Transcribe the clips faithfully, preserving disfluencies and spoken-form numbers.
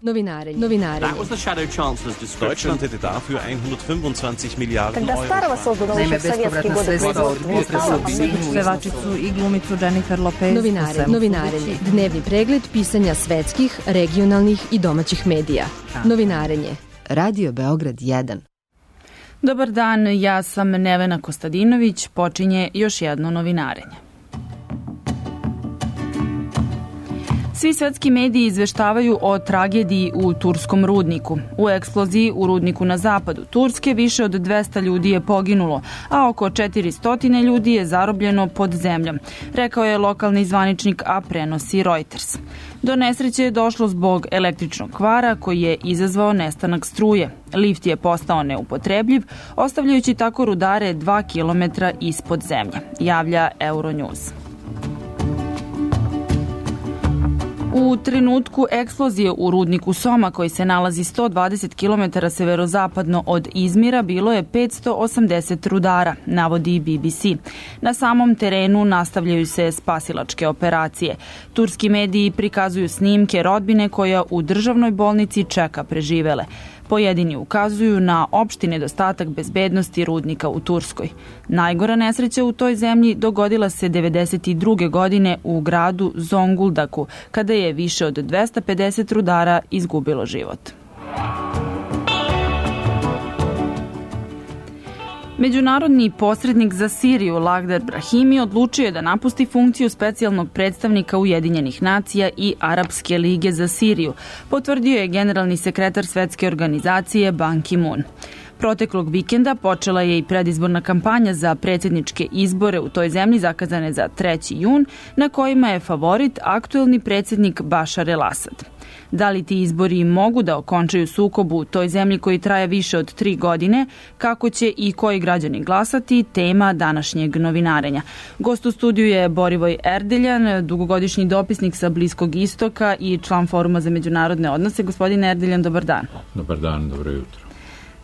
Novinarenje. Novinarenje. That was the Shadow Chancellor's description. Deutschland hätte dafür hundertfünfundzwanzig Milijarden Euro. Naime, bespovratna sredstva od pevačicu i glumicu Jennifer Lopez. Novinarenje. Novinarenje. Dnevni pregled pisanja svetskih, regionalnih i domaćih medija. Novinarenje. Radio Beograd jedan. Dobar dan, ja sam Nevena Kostadinović, počinje još jedno novinarenje. Svi svetski mediji izveštavaju o tragediji u turskom rudniku. U eksploziji u rudniku na zapadu Turske više od dvesta ljudi je poginulo, a oko četiristo ljudi je zarobljeno pod zemljom, rekao je lokalni zvaničnik, a prenosi Reuters. Do nesreće je došlo zbog električnog kvara koji je izazvao nestanak struje. Lift je postao neupotrebljiv, ostavljajući tako rudare dva kilometra ispod zemlje, javlja Euronews. U trenutku eksplozije u rudniku Soma, koji se nalazi sto dvadeset kilometara severozapadno od Izmira, bilo je petsto osamdeset rudara, navodi B B C. Na samom terenu nastavljaju se spasilačke operacije. Turski mediji prikazuju snimke rodbine koja u državnoj bolnici čeka preživele. Pojedini ukazuju na opšti nedostatak bezbednosti rudnika u Turskoj. Najgora nesreća u toj zemlji dogodila se devedeset druge godine u gradu Zonguldaku, kada je više od dvesta pedeset rudara izgubilo život. Međunarodni posrednik za Siriju Lagdar Brahimi odlučio je da napusti funkciju specijalnog predstavnika Ujedinjenih nacija i Arapske lige za Siriju, potvrdio je generalni sekretar Svetske organizacije Ban Ki-moon. Proteklog vikenda počela je i predizborna kampanja za predsjedničke izbore u toj zemlji zakazane za treći jun, na kojima je favorit aktuelni predsjednik Bašar el-Asad. Da li ti izbori mogu da okončaju sukob u toj zemlji koji traje više od tri godine, kako će i koji građani glasati, tema današnjeg novinarenja. Gost u studiju je Borivoj Erdeljan, dugogodišnji dopisnik sa Bliskog istoka i član Foruma za međunarodne odnose. Gospodin Erdeljan, dobar dan. Dobar dan, dobro jutro.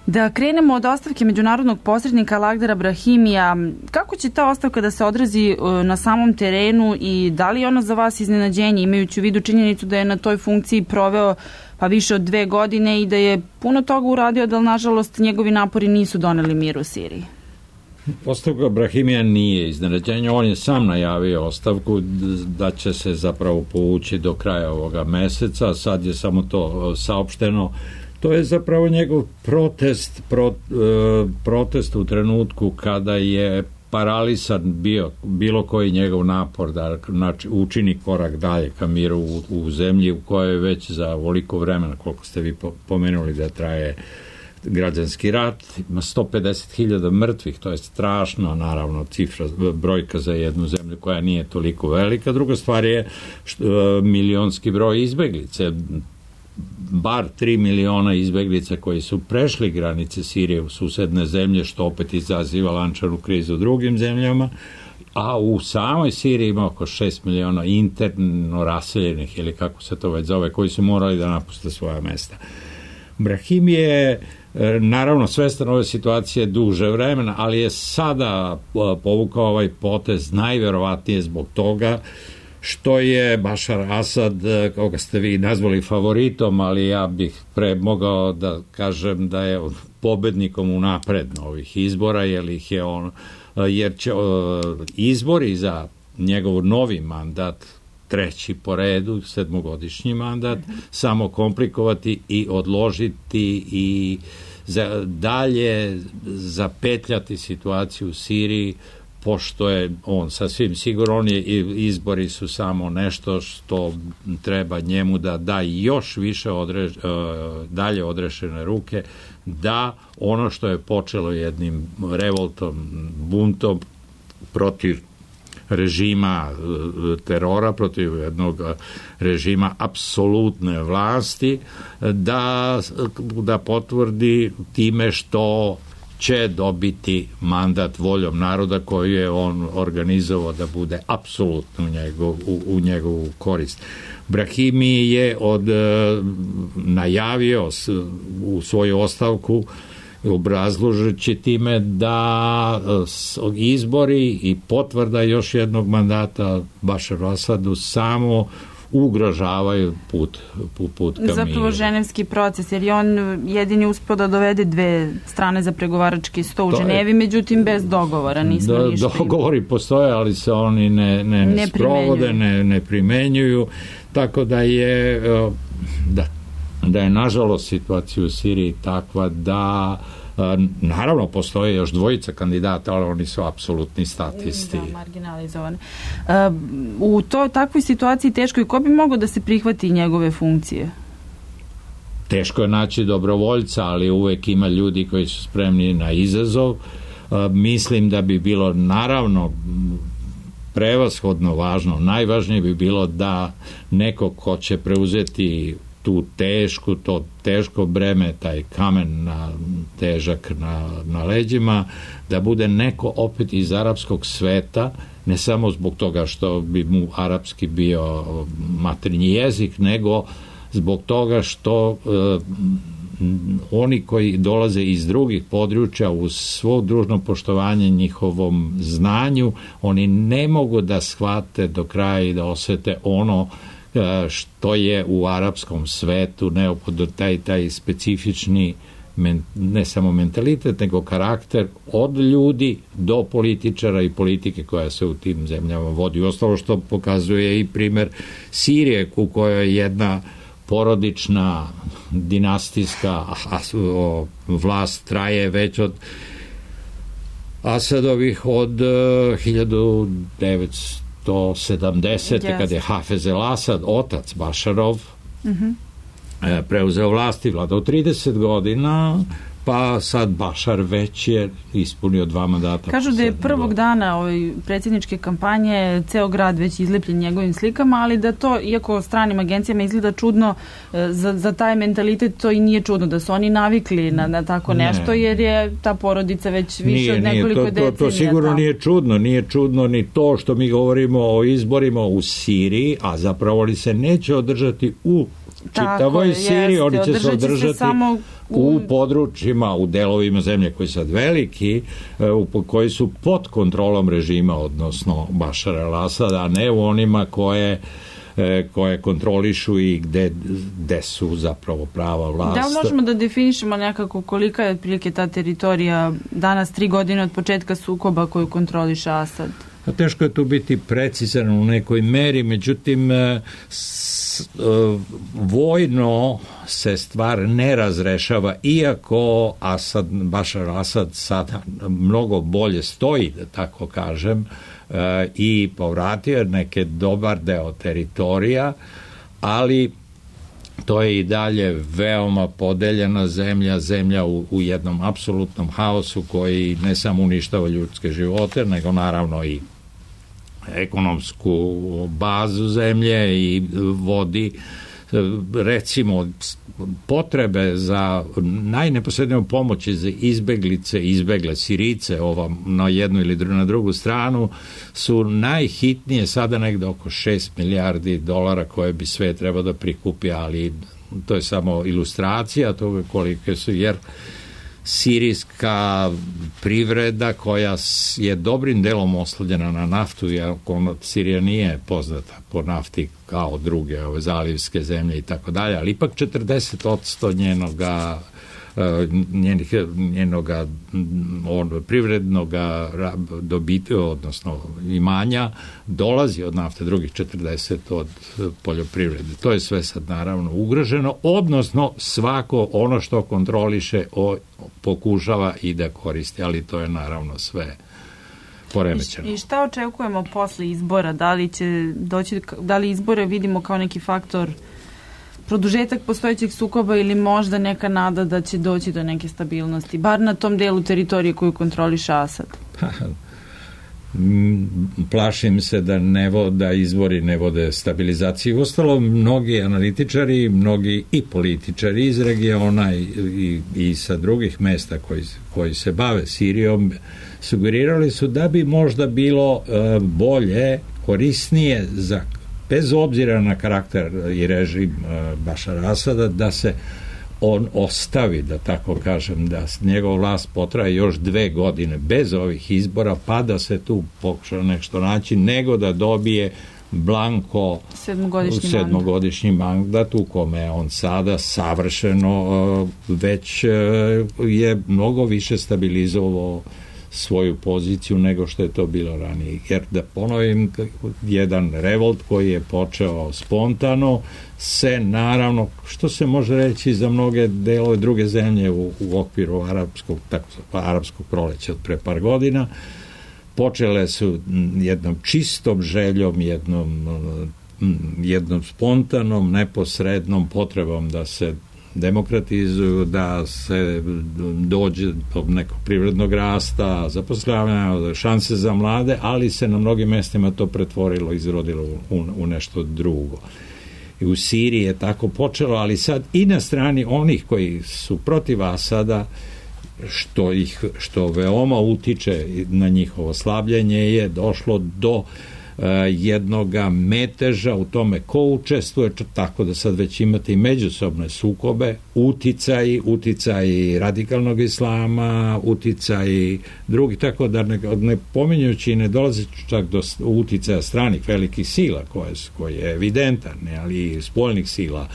Da krenemo od ostavke međunarodnog posrednika Lagdara Brahimija, kako će ta ostavka da se odrazi na samom terenu i da li je ono za vas iznenađenje, imajući u vidu činjenicu da je na toj funkciji proveo pa više od dve godine i da je puno toga uradio, da nažalost njegovi napori nisu doneli mir u Siriji? Ostavka Brahimija nije iznenađenje, on je sam najavio ostavku da će se zapravo povući do kraja ovoga meseca, sad je samo to saopšteno. To je zapravo njegov protest, pro, protest u trenutku kada je paralisan bio bilo koji njegov napor da znači, učini korak dalje ka miru u, u zemlji u kojoj već za ovoliko vremena, koliko ste vi pomenuli da traje građanski rat, ima sto pedeset hiljada mrtvih, to je strašno, naravno, cifra, brojka za jednu zemlju koja nije toliko velika. Druga stvar je što, milionski broj izbeglice, bar tri miliona izbeglica koji su prešli granice Sirije u susedne zemlje, što opet izaziva lančanu krizu u drugim zemljama, a u samoj Siriji ima oko šest miliona interno raseljenih, ili kako se to već zove, koji su morali da napuste svoja mesta. Brahimi je naravno svestan ove situacije duže vremena, ali je sada povukao ovaj potez najverovatnije zbog toga što je Bašar Asad, koga ste vi nazvali favoritom, ali ja bih pre mogao da kažem da je pobednikom unapred ovih izbora, jer ih je on, jer će izbori za njegov novi mandat, treći po redu, sedmogodišnji mandat, samo komplikovati i odložiti i za dalje zapetljati situaciju u Siriji, pošto je on sasvim sigurno, on je, izbori su samo nešto što treba njemu da da još više odre, dalje odrešene ruke, da ono što je počelo jednim revoltom, buntom protiv režima terora, protiv jednog režima apsolutne vlasti, da, da potvrdi time što će dobiti mandat voljom naroda koju je on organizovao da bude apsolutno u, njegov, u, u njegovu korist. Brahimi je od, najavio u svoju ostavku obrazložujući time da izbori i potvrda još jednog mandata Bašaru Asadu samo ugrožavaju put, put, put ka miru. Zapravo ženevski proces, jer je on jedini uspio da dovede dve strane za pregovarački sto u to Ženevi, je, međutim bez dogovora, nismo do, ništa. Dogovori postoje, ali se oni ne, ne, ne sprovode, ne, ne primenjuju, tako da je da, da je nažalost situacija u Siriji takva da naravno postoje još dvojica kandidata, ali oni su apsolutni statisti. Da, marginalizovani. U to, takvoj situaciji teško i ko bi mogao da se prihvati njegove funkcije? Teško je naći dobrovoljca, ali uvek ima ljudi koji su spremni na izazov. Mislim da bi bilo naravno prevashodno važno, najvažnije bi bilo da neko ko će preuzeti tu tešku, to teško breme, taj kamen na, težak na, na leđima, da bude neko opet iz arapskog sveta, ne samo zbog toga što bi mu arapski bio maternji jezik, nego zbog toga što eh, oni koji dolaze iz drugih područja uz svo družno poštovanje njihovom znanju, oni ne mogu da shvate do kraja i da osete ono što je u arapskom svetu neophodno, taj, taj specifični men, ne samo mentalitet, nego karakter od ljudi do političara i politike koja se u tim zemljama vodi. Ostalo što pokazuje i primer Sirije, u kojoj jedna porodična dinastijska vlast traje već od Asadovih od hiljadu devetsto sedamdesete yes. kad je Hafez el Asad, otac Bašarov, mm-hmm. preuzeo vlast i vladao trideset godina, pa sad Bašar već je ispunio dva mandata. Kažu da je prvog dana ovoj predsjedničke kampanje ceo grad već izlepljen njegovim slikama, ali da to, iako stranim agencijama izgleda čudno, za, za taj mentalitet to i nije čudno, da su oni navikli na, na tako nešto, ne. Jer je ta porodica već više nije, od nekoliko nije, to, decenija. To, to sigurno tamo. Nije čudno, nije čudno ni to što mi govorimo o izborima u Siriji, a zapravo li se neće održati u čitavoj Siriji, oni će se održati se samo u... u područjima, u delovima zemlje koji su sad veliki, u, koji su pod kontrolom režima, odnosno Bašara el-Asada, a ne u onima koje koje kontrolišu i gde, gde su zapravo prava vlast. Da, možemo da definišemo nekako kolika je otprilike ta teritorija danas, tri godine od početka sukoba koju kontroliše Asad? A teško je tu biti precizan u nekoj meri, međutim s, vojno se stvar ne razrešava, iako Asad, Bašar Asad sada mnogo bolje stoji, da tako kažem, i povratio neke dobar deo teritorija, ali to je i dalje veoma podeljena zemlja, zemlja u, u jednom apsolutnom haosu koji ne samo uništava ljudske živote, nego naravno i ekonomsku bazu zemlje i vodi recimo potrebe za najneposredniju pomoći za izbeglice, izbegle Sirice ova, na jednu ili dru, na drugu stranu su najhitnije sada negde oko šest milijardi dolara koje bi sve trebao da prikupi, ali to je samo ilustracija toga kolike su, jer sirijska privreda koja je dobrim delom oslovljena na naftu, jer Sirija nije poznata po nafti kao druge ove zalivske zemlje i tako dalje, ali ipak četrdeset posto njenoga njenih, njenoga on, privrednoga dobiti, odnosno imanja dolazi od nafte, drugih četrdeset od poljoprivrede. To je sve sad naravno ugroženo, odnosno svako ono što kontroliše o, pokušava i da koristi, ali to je naravno sve poremećeno. I šta očekujemo posle izbora? Da li će doći, da li izbore vidimo kao neki faktor produžetak postojećeg sukoba ili možda neka nada da će doći do neke stabilnosti, bar na tom delu teritorije koju kontroliše Asad? Plašim se da, ne vo, da izbori ne vode stabilizaciji. Ostalo, mnogi analitičari, mnogi i političari iz regiona i, i, i sa drugih mesta koji, koji se bave Sirijom sugerirali su da bi možda bilo uh, bolje, korisnije za bez obzira na karakter i režim uh, Bašara Asada, da se on ostavi, da tako kažem, da njegov vlast potraje još dve godine bez ovih izbora, pa da se tu pokuša nešto naći, nego da dobije blanko sedmogodišnji, sedmogodišnji mandat u kome on sada savršeno već je mnogo više stabilizovao svoju poziciju nego što je to bilo ranije. Jer da ponovim, jedan revolt koji je počeo spontano se naravno, što se može reći za mnoge delove druge zemlje u, u okviru arapskog, tako, arapskog proleća od pre par godina, počele su jednom čistom željom, jednom, jednom spontanom, neposrednom potrebom da se demokratizuju, da se dođe do nekog privrednog rasta, zapošljavanja, šanse za mlade, ali se na mnogim mestima to pretvorilo, izrodilo u, u nešto drugo. I u Siriji je tako počelo, ali sad i na strani onih koji su protiv Asada, što ih što veoma utiče na njihovo slabljenje, je došlo do uh, jednoga meteža u tome ko učestvuje, tako da sad već imate i međusobne sukobe, uticaji, uticaji radikalnog islama, uticaji drugi, tako da ne, ne pominjući i ne dolazi čak do uticaja stranih velikih sila koje, koje je evidentan, ne, ali i spoljnih sila.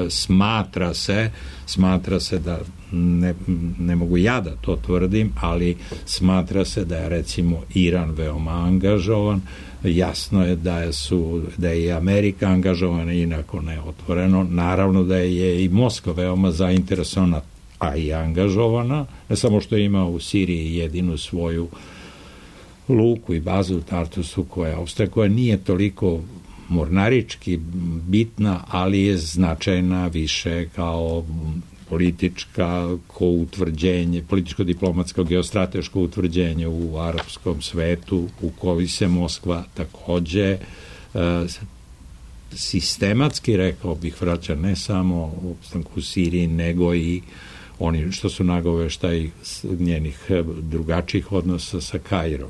Smatra se, smatra se da ne, ne mogu ja da to tvrdim, ali smatra se da je recimo Iran veoma angažovan. Jasno je da je, su, da je i Amerika angažovana, inako ne otvoreno. Naravno da je i Moskva veoma zainteresovana, a i angažovana, ne samo što ima u Siriji jedinu svoju luku i bazu u Tartusu koja ostaje, koja nije toliko mornarički bitna, ali je značajna više kao politička ko utvrđenje, političko-diplomatsko geostrateško utvrđenje u arapskom svetu, u koji se Moskva takođe e, sistematski, rekao bih, vraća ne samo u opstanku u Siriji, nego i oni što su nagoveštaj njenih drugačijih odnosa sa Kairom.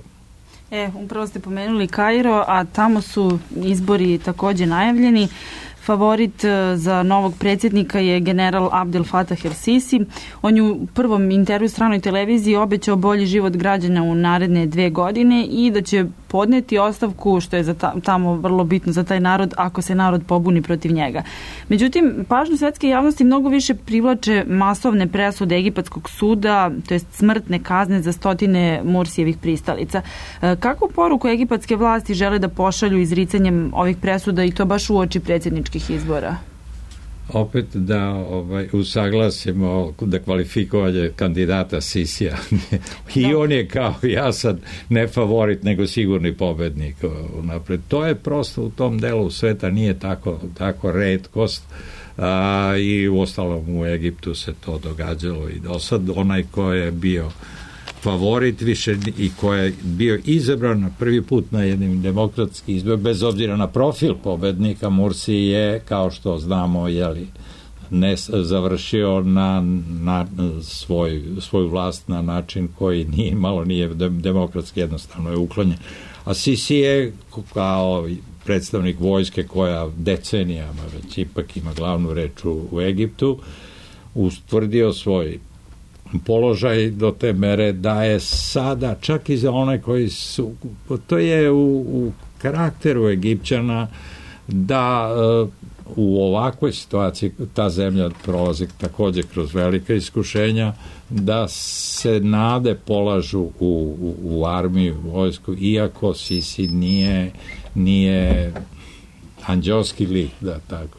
E, upravo ste pomenuli Kairo, a tamo su izbori takođe najavljeni. Favorit za novog predsjednika je general Abdel Fattah el-Sisi. On je u prvom intervju stranoj televiziji obećao bolji život građana u naredne dve godine i da će podneti ostavku, što je za tamo vrlo bitno za taj narod, ako se narod pobuni protiv njega. Međutim, pažnju svetske javnosti mnogo više privlače masovne presude egipatskog suda, to jest smrtne kazne za stotine Mursijevih pristalica. Kakvu poruku egipatske vlasti žele da pošalju izricanjem ovih presuda i to baš uoči predsjedničkih izbora? Opet da ovaj, usaglasimo da kvalifikovanje kandidata Sisija i da. On je kao ja sad ne favorit nego sigurni pobednik napred. To je prosto u tom delu sveta nije tako, tako retkost a, i u ostalom u Egiptu se to događalo i do sad onaj ko je bio favorit više i ko je bio izabran na prvi put na jednim demokratskim izborima, bez obzira na profil pobednika, Mursi je, kao što znamo, jeli, ne završio na, na svoj, svoju vlast na način koji nije, malo nije demokratski, jednostavno je uklonjen. A Sisi je kao predstavnik vojske koja decenijama već ipak ima glavnu reč u, u Egiptu, ustvrdio svoj položaj do te mere da je sada, čak i za one koji su, to je u, u karakteru Egipćana da uh, u ovakvoj situaciji ta zemlja prolazi takođe kroz velika iskušenja, da se nade polažu u, u, u armiju, u vojsku, iako Sisi nije, nije anđelski lik, da tako,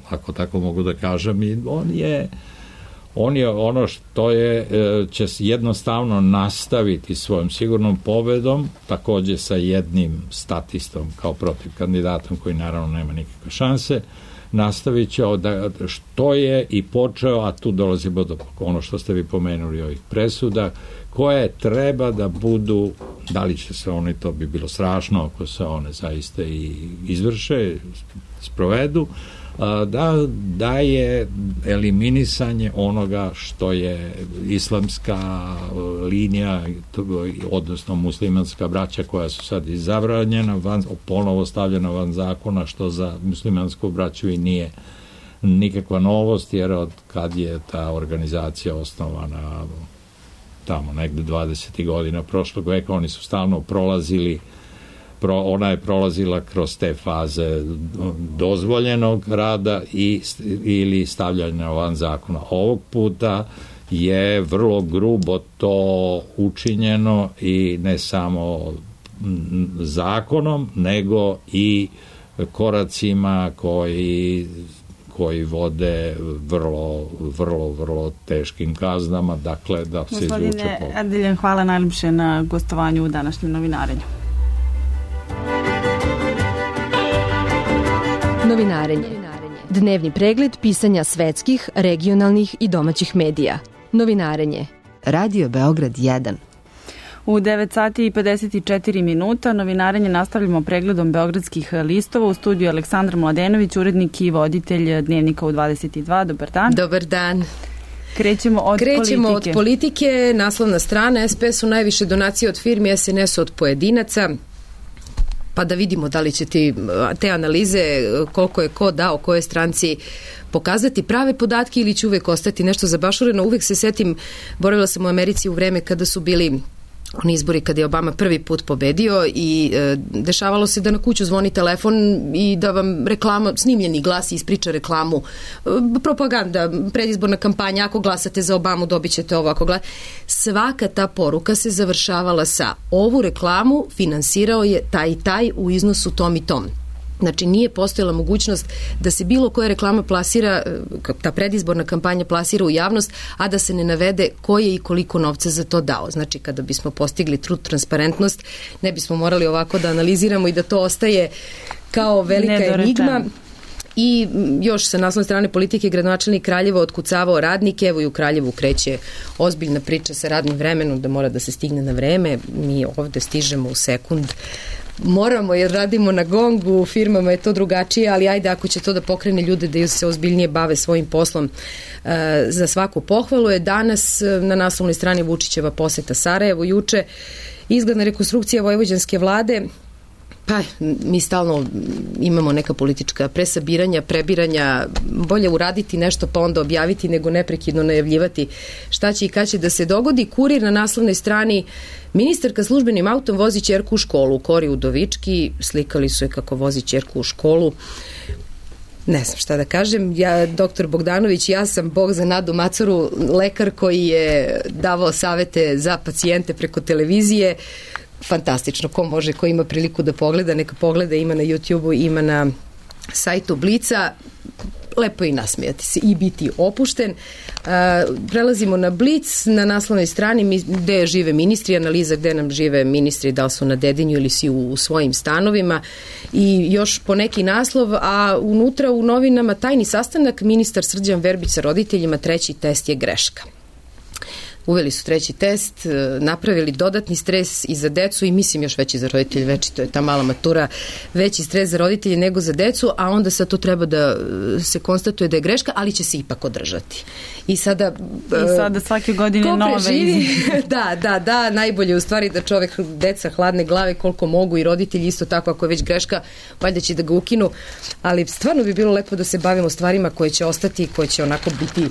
ako tako mogu da kažem, i on je On je ono što je, će jednostavno nastaviti svojom sigurnom pobedom, takođe sa jednim statistom kao protiv kandidatom koji naravno nema nikakve šanse, nastavit će da što je i počeo, a tu dolazimo do ono što ste vi pomenuli ovih presuda, koje treba da budu, da li će se one, to bi bilo strašno ako se one zaista i izvrše, sprovedu, da, da je eliminisanje onoga što je islamska linija, odnosno muslimanska braća koja su sad izabranjena, van, ponovo stavljena van zakona, što za muslimansku braću i nije nikakva novost, jer od kad je ta organizacija osnovana tamo negde dvadesetih godina prošlog veka, oni su stalno prolazili pro, ona je prolazila kroz te faze dozvoljenog rada i, ili stavljanja van zakona. Ovog puta je vrlo grubo to učinjeno i ne samo zakonom, nego i koracima koji koji vode vrlo, vrlo, vrlo teškim kaznama, dakle da se izvuče. Gospodine Erdeljan, hvala najljepše na gostovanju u današnjem novinarenju. Novinarenje. Dnevni pregled pisanja svetskih, regionalnih i domaćih medija. Novinarenje. Radio Beograd jedan. U devet sati i pedeset četiri minuta novinarenje nastavljamo pregledom beogradskih listova. U studiju Aleksandar Mladenović, urednik i voditelj Dnevnika u dvadeset dva. Dobar dan. Dobar dan. Krećemo od Krećemo politike. od politike. Naslovna strana: S P S-u najviše donacije od firmi, S N S-u od pojedinaca. Pa da vidimo da li će ti te analize, koliko je ko dao, koje stranci, pokazati prave podatke ili će uvek ostati nešto zabašureno. Uvek se setim, boravila sam u Americi u vreme kada su bili oni izbori, kada je Obama prvi put pobedio i e, dešavalo se da na kuću zvoni telefon i da vam reklama, snimljeni glas ispriča reklamu, e, propaganda, predizborna kampanja, ako glasate za Obamu dobit ćete ovo, ako glasate. Svaka ta poruka se završavala sa: ovu reklamu finansirao je taj i taj u iznosu tom i tom. Znači, nije postojala mogućnost da se bilo koja reklama plasira, ta predizborna kampanja plasira u javnost, a da se ne navede ko je i koliko novca za to dao. Znači, kada bismo postigli true transparentnost, ne bismo morali ovako da analiziramo i da to ostaje kao velika enigma. I još sa naslovne strane politike, gradonačelnik Kraljeva otkucavao radnike. Evo i u Kraljevu kreće ozbiljna priča sa radnim vremenom, da mora da se stigne na vreme. Mi ovde stižemo u sekund. Moramo, jer radimo na gongu, u firmama je to drugačije, ali ajde, ako će to da pokrene ljude da se ozbiljnije bave svojim poslom, e, za svaku pohvalu je. Danas na naslovnoj strani Vučićeva poseta Sarajevu, juče izgledna rekonstrukcija vojvođanske vlade. Pa, mi stalno imamo neka politička presabiranja, prebiranja, bolje uraditi nešto pa onda objaviti nego neprekidno najavljivati šta će i kad će da se dogodi. Kurir na naslovnoj strani: ministarka službenim autom vozi ćerku u školu. U Kori Udovički slikali su je kako vozi ćerku u školu. Ne znam šta da kažem. Ja, doktor Bogdanović, ja sam bog za Nadu Macuru, lekar koji je davao savete za pacijente preko televizije. Fantastično, ko može, ko ima priliku da pogleda, neka pogleda, ima na YouTubeu, ima na sajtu Blica. Lepo i nasmijati se i biti opušten. Uh, prelazimo na Blic, na naslovnoj strani gde žive ministri, analiza gde nam žive ministri, da li su na Dedinju ili si u, u svojim stanovima, i još po neki naslov, a unutra u novinama: tajni sastanak, ministar Srđan Verbić sa roditeljima, treći test je greška. Uveli su treći test, napravili dodatni stres i za decu i mislim još veći za roditelje, veći, to je ta mala matura, veći stres za roditelje nego za decu, a onda sad to treba da se konstatuje da je greška, ali će se ipak održati. I sada... I sada svake godine nove izmene. Da, da, da, najbolje u stvari da čovek, deca hladne glave koliko mogu i roditelji isto tako, ako je već greška, valjda će da ga ukinu, ali stvarno bi bilo lepo da se bavimo stvarima koje će ostati, koje će onako biti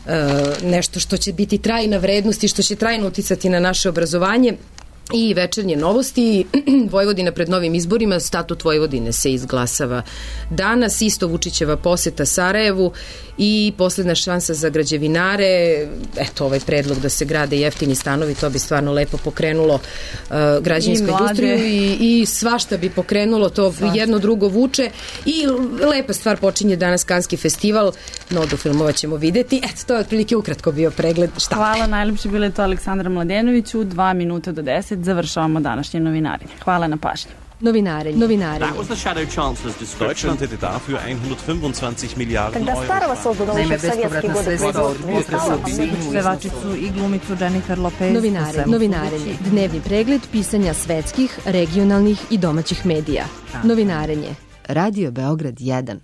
Uh, nešto što će biti trajna vrednost i što će trajno uticati na naše obrazovanje. I večernje novosti: Vojvodina pred novim izborima, statut Vojvodine se izglasava danas, isto Vučićeva poseta Sarajevu i poslednja šansa za građevinare. Eto, ovaj predlog da se grade jeftini stanovi, to bi stvarno lepo pokrenulo uh, građevinsku industriju i, i svašta bi pokrenulo, to svašta. Jedno drugo vuče i lepa stvar, počinje danas Kanski festival, Nodu filmova ćemo videti. Eto, to je otprilike ukratko bio pregled. Šta? Hvala, najljepše bilo je to Aleksandra Mladenoviću. Dva minuta do deset završavamo današnje novinarenje. Hvala na pažnji. Novinarenje. Novinarenje. That was the Shadow Chancellor's description. Deutschland hätte dafür hundertfünfundzwanzig Milliarden Euro. Naime, bespovratna sredstva od pevačicu i glumicu Jennifer Lopez. Novinarenje. Novinarenje. Dnevni pregled pisanja svetskih, regionalnih i domaćih medija. Novinarenje. Radio Beograd jedan.